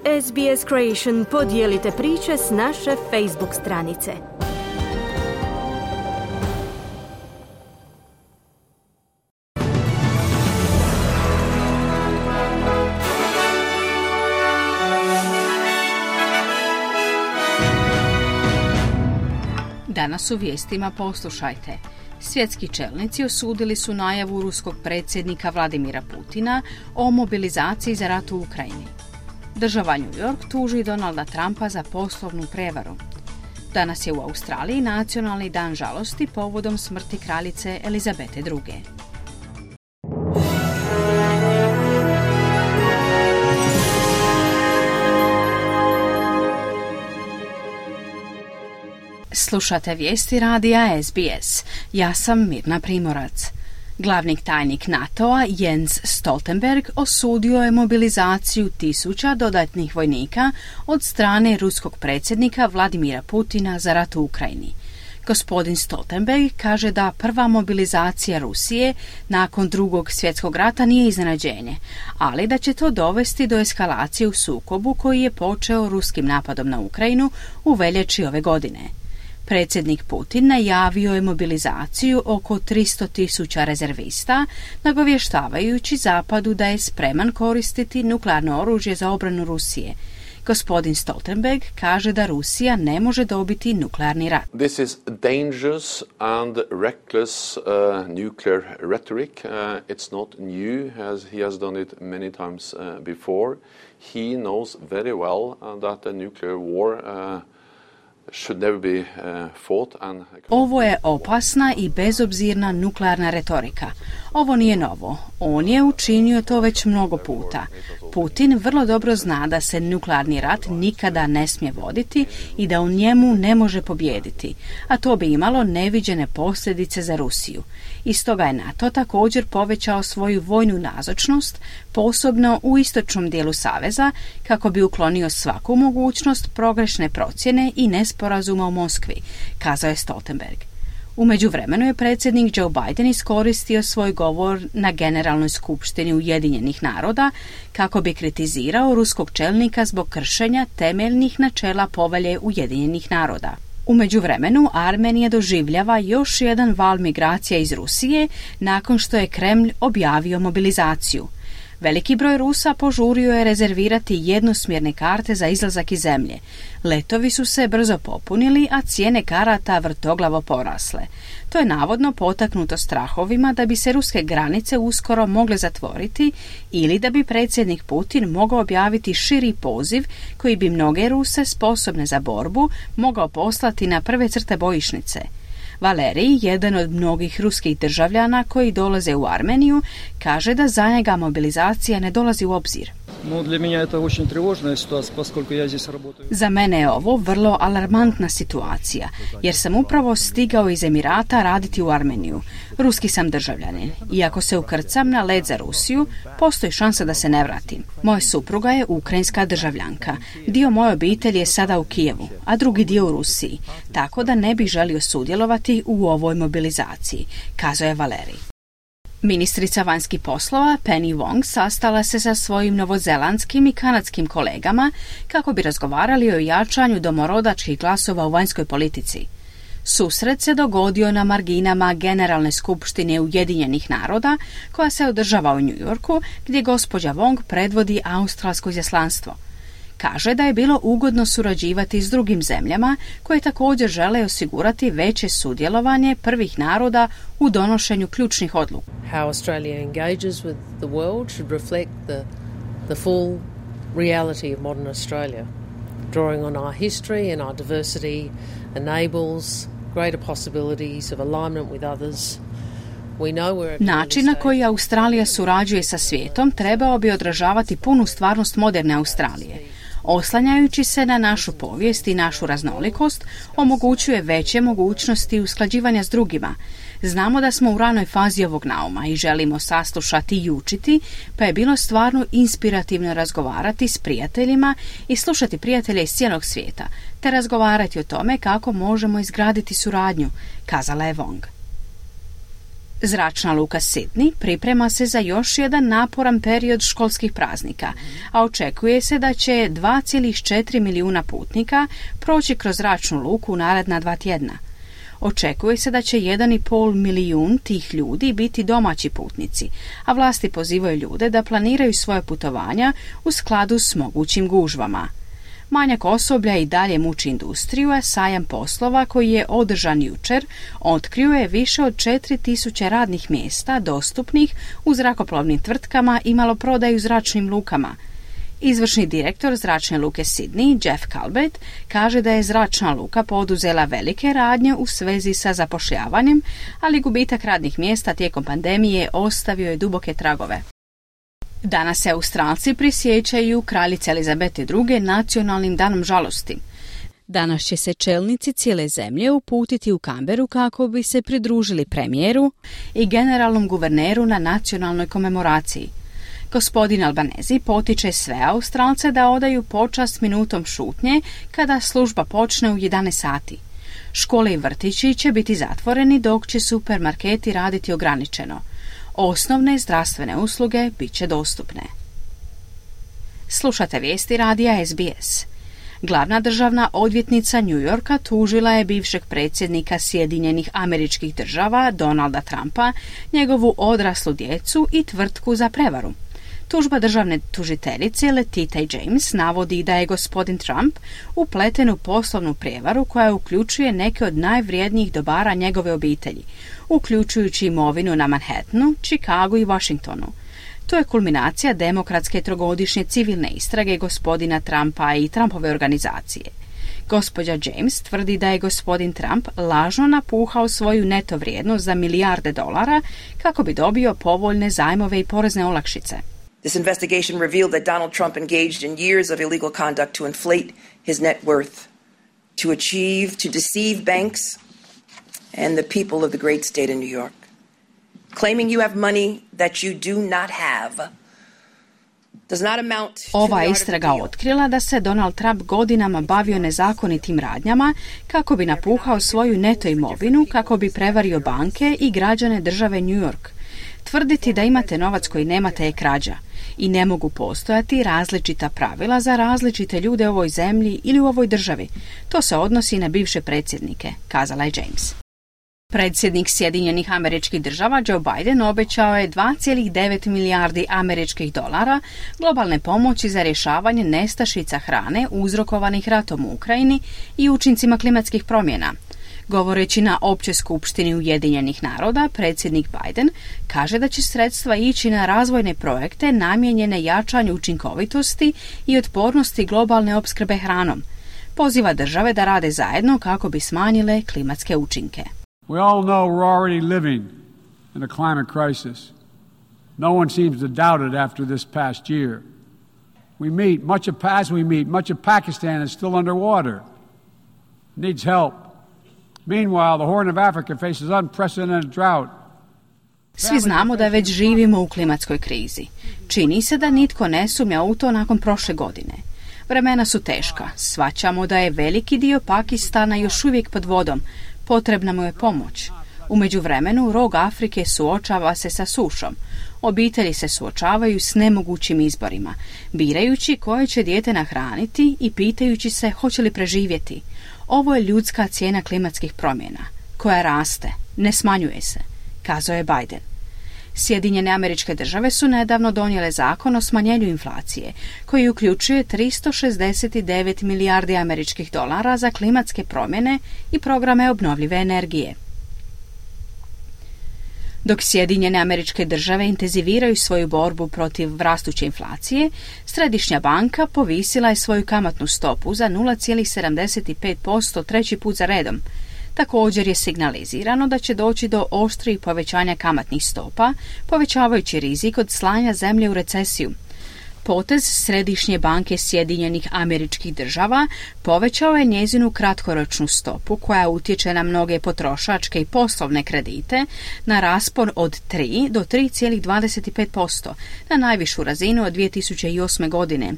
SBS Creation podijelite priče s naše Facebook stranice. Danas u vijestima poslušajte. Svjetski čelnici osudili su najavu ruskog predsjednika Vladimira Putina o mobilizaciji za rat u Ukrajini. Država New York tuži Donalda Trumpa za poslovnu prevaru. Danas je u Australiji nacionalni dan žalosti povodom smrti kraljice Elizabete II. Slušate vijesti radija SBS. Ja sam Mirna Primorac. Glavni tajnik NATO-a Jens Stoltenberg osudio je mobilizaciju 1000 dodatnih vojnika od strane ruskog predsjednika Vladimira Putina za rat u Ukrajini. Gospodin Stoltenberg kaže da prva mobilizacija Rusije nakon Drugog svjetskog rata nije iznenađenje, ali da će to dovesti do eskalacije u sukobu koji je počeo ruskim napadom na Ukrajinu u veljači ove godine. Predsjednik Putin najavio je mobilizaciju oko 300.000 rezervista, nagovještavajući Zapadu da je spreman koristiti nuklearno oružje za obranu Rusije. Gospodin Stoltenberg kaže da Rusija ne može dobiti nuklearni rat. This is dangerous and reckless nuclear rhetoric. It's not new, as he has done it many times before. He knows very well that a nuclear war should never be fought and... Ovo je opasna i bezobzirna nuklearna retorika. Ovo nije novo. On je učinio to već mnogo puta. Putin vrlo dobro zna da se nuklearni rat nikada ne smije voditi i da u njemu ne može pobijediti, a to bi imalo neviđene posljedice za Rusiju. I stoga je NATO također povećao svoju vojnu nazočnost, posebno u istočnom dijelu saveza, kako bi uklonio svaku mogućnost pogrešne procjene i nesporazuma u Moskvi, kazao je Stoltenberg. U međuvremenu je predsjednik Joe Biden iskoristio svoj govor na Generalnoj skupštini Ujedinjenih naroda kako bi kritizirao ruskog čelnika zbog kršenja temeljnih načela Povelje Ujedinjenih naroda. U međuvremenu Armenija doživljava još jedan val migracija iz Rusije nakon što je Kremlj objavio mobilizaciju. Veliki broj Rusa požurio je rezervirati jednosmjerne karte za izlazak iz zemlje. Letovi su se brzo popunili, a cijene karata vrtoglavo porasle. To je navodno potaknuto strahovima da bi se ruske granice uskoro mogle zatvoriti ili da bi predsjednik Putin mogao objaviti širi poziv koji bi mnoge Ruse sposobne za borbu mogao poslati na prve crte bojišnice. Valerij, jedan od mnogih ruskih državljana koji dolaze u Armeniju, kaže da za njega mobilizacija ne dolazi u obzir. Za mene je ovo vrlo alarmantna situacija, jer sam upravo stigao iz Emirata raditi u Armeniju. Ruski sam državljanin i ako se ukrcam na let za Rusiju, postoji šansa da se ne vratim. Moja supruga je ukrajinska državljanka. Dio moje obitelji je sada u Kijevu, a drugi dio u Rusiji, tako da ne bih želio sudjelovati u ovoj mobilizaciji, kazao je Valerij. Ministrica vanjskih poslova Penny Wong sastala se sa svojim novozelandskim i kanadskim kolegama kako bi razgovarali o jačanju domorodačkih glasova u vanjskoj politici. Susret se dogodio na marginama Generalne skupštine Ujedinjenih naroda koja se održava u New Yorku, gdje gospođa Wong predvodi australsko izaslanstvo. Kaže da je bilo ugodno surađivati s drugim zemljama koje također žele osigurati veće sudjelovanje prvih naroda u donošenju ključnih odluka. How Australia engages with the world should reflect the full reality of modern Australia. Drawing on our history and our diversity enables greater possibilities of alignment with others. Način na koji Australija surađuje sa svijetom trebao bi odražavati punu stvarnost moderne Australije. Oslanjajući se na našu povijest i našu raznolikost, omogućuje veće mogućnosti usklađivanja s drugima. Znamo da smo u ranoj fazi ovog nauma i želimo saslušati i učiti, pa je bilo stvarno inspirativno razgovarati s prijateljima i slušati prijatelje iz cijelog svijeta, te razgovarati o tome kako možemo izgraditi suradnju, kazala je Wong. Zračna luka Sydney priprema se za još jedan naporan period školskih praznika, a očekuje se da će 2,4 milijuna putnika proći kroz zračnu luku u naredna 2 tjedna. Očekuje se da će 1,5 milijun tih ljudi biti domaći putnici, a vlasti pozivaju ljude da planiraju svoje putovanja u skladu s mogućim gužvama. Manjak osoblja i dalje muči industriju, a sajam poslova koji je održan jučer otkrio je više od 4.000 radnih mjesta dostupnih u zrakoplovnim tvrtkama i maloprodaju u zračnim lukama. Izvršni direktor zračne luke Sydney, Jeff Calbert, kaže da je zračna luka poduzela velike radnje u svezi sa zapošljavanjem, ali gubitak radnih mjesta tijekom pandemije ostavio je duboke tragove. Danas se Australci prisjećaju kraljice Elizabete II. Nacionalnim danom žalosti. Danas će se čelnici cijele zemlje uputiti u Canberu kako bi se pridružili premijeru i generalnom guverneru na nacionalnoj komemoraciji. Gospodin Albanese potiče sve Australce da odaju počast minutom šutnje kada služba počne u 11 sati. Škole i vrtići će biti zatvoreni dok će supermarketi raditi ograničeno. Osnovne zdravstvene usluge bit će dostupne. Slušate vijesti radija SBS. Glavna državna odvjetnica New Yorka tužila je bivšeg predsjednika Sjedinjenih Američkih Država Donalda Trumpa, njegovu odraslu djecu i tvrtku za prevaru. Tužba državne tužiteljice Letita James navodi da je gospodin Trump upleten u poslovnu prijevaru koja uključuje neke od najvrijednijih dobara njegove obitelji, uključujući imovinu na Manhattanu, Chicagu i Washingtonu. To je kulminacija demokratske trogodišnje civilne istrage gospodina Trumpa i Trumpove organizacije. Gospođa James tvrdi da je gospodin Trump lažno napuhao svoju neto vrijednost za milijarde dolara kako bi dobio povoljne zajmove i porezne olakšice. This investigation revealed that Donald Trump engaged in years of illegal conduct to inflate his net worth, to deceive banks and the people of the great state of New York. Claiming you have money that you do not have does not amount to Ova istraga otkrila da se Donald Trump godinama bavio nezakonitim radnjama kako bi napuhao svoju neto imovinu, kako bi prevario banke i građane države New York. Tvrditi da imate novac koji nemate je krađa i ne mogu postojati različita pravila za različite ljude u ovoj zemlji ili u ovoj državi. To se odnosi na bivše predsjednike, kazala je James. Predsjednik Sjedinjenih Američkih Država Joe Biden obećao je 2,9 milijardi američkih dolara globalne pomoći za rješavanje nestašica hrane uzrokovanih ratom u Ukrajini i učincima klimatskih promjena. Govoreći na Općoj skupštini Ujedinjenih naroda, predsjednik Biden kaže da će sredstva ići na razvojne projekte namijenjene jačanju učinkovitosti i otpornosti globalne opskrbe hranom. Poziva države da rade zajedno kako bi smanjile klimatske učinke. We all know we're already living in a climate crisis. No one seems to doubt it after this past year. Much of Pakistan is still underwater. Needs help. Meanwhile, the Horn of Africa faces unprecedented drought. Svi znamo da već živimo u klimatskoj krizi. Čini se da nitko ne sumnja u to nakon prošle godine. Vremena su teška. Shvaćamo da je veliki dio Pakistana još uvijek pod vodom. Potrebna mu je pomoć. U međuvremenu, rog Afrike suočava se sa sušom. Obitelji se suočavaju s nemogućim izborima, birajući koje će dijete nahraniti i pitajući se hoće li preživjeti. Ovo je ljudska cijena klimatskih promjena, koja raste, ne smanjuje se, kazao je Biden. Sjedinjene Američke Države su nedavno donijele zakon o smanjenju inflacije, koji uključuje 369 milijardi američkih dolara za klimatske promjene i programe obnovljive energije. Dok Sjedinjene Američke Države intenziviraju svoju borbu protiv rastuće inflacije, Središnja banka povisila je svoju kamatnu stopu za 0,75% treći put za redom. Također je signalizirano da će doći do oštrijih povećanja kamatnih stopa, povećavajući rizik od slanja zemlje u recesiju. Potez Središnje banke Sjedinjenih Američkih Država povećao je njezinu kratkoročnu stopu koja utječe na mnoge potrošačke i poslovne kredite na raspon od 3 do 3,25%, na najvišu razinu od 2008. godine.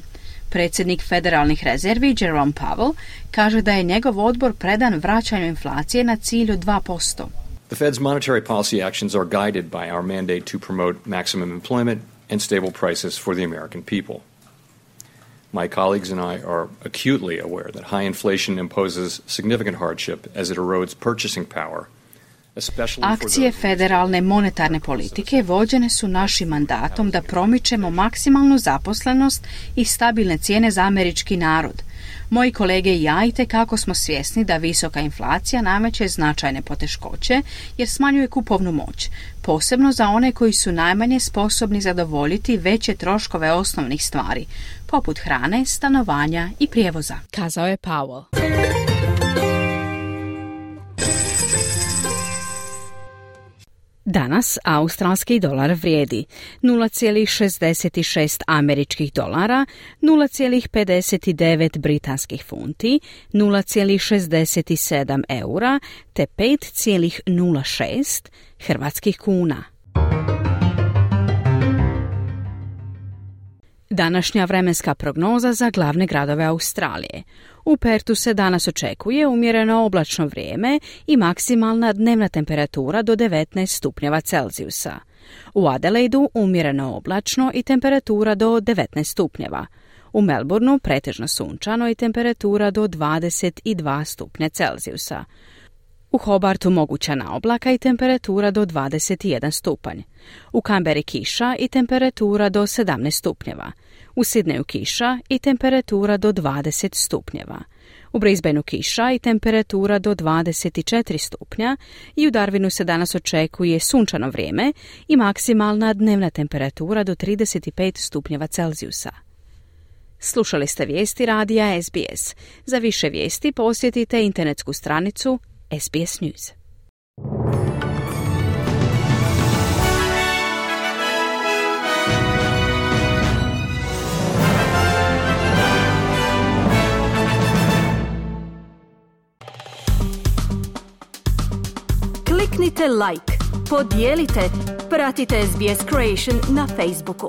Predsjednik federalnih rezervi Jerome Powell kaže da je njegov odbor predan vraćanju inflacije na cilj od 2%. The Fed's monetary policy actions are guided by our mandate to promote maximum employment and stable prices for the American people. My colleagues and I are acutely aware that high inflation imposes significant hardship as it erodes purchasing power. Akcije federalne monetarne politike vođene su našim mandatom da promičemo maksimalnu zaposlenost i stabilne cijene za američki narod. Moji kolege i ja itekako smo svjesni da visoka inflacija nameće značajne poteškoće jer smanjuje kupovnu moć, posebno za one koji su najmanje sposobni zadovoljiti veće troškove osnovnih stvari, poput hrane, stanovanja i prijevoza, kazao je Powell. Danas australski dolar vrijedi 0,66 američkih dolara, 0,59 britanskih funti, 0,67 eura te 5,06 hrvatskih kuna. Današnja vremenska prognoza za glavne gradove Australije. U Pertu se danas očekuje umjereno oblačno vrijeme i maksimalna dnevna temperatura do 19 stupnjeva Celzijusa. U Adelaidu umjereno oblačno i temperatura do 19 stupnjeva. U Melbourneu pretežno sunčano i temperatura do 22 stupnja Celzijusa. U Hobartu mogućana oblaka i temperatura do 21 stupanj. U Canberri kiša i temperatura do 17 stupnjeva. U Sydneyu kiša i temperatura do 20 stupnjeva. U Brisbaneu kiša i temperatura do 24 stupnja i u Darwinu se danas očekuje sunčano vrijeme i maksimalna dnevna temperatura do 35 stupnjeva Celzijusa. Slušali ste vijesti radija SBS. Za više vijesti posjetite internetsku stranicu SBS News. Kliknite like, podijelite, pratite SBS Creation na Facebooku.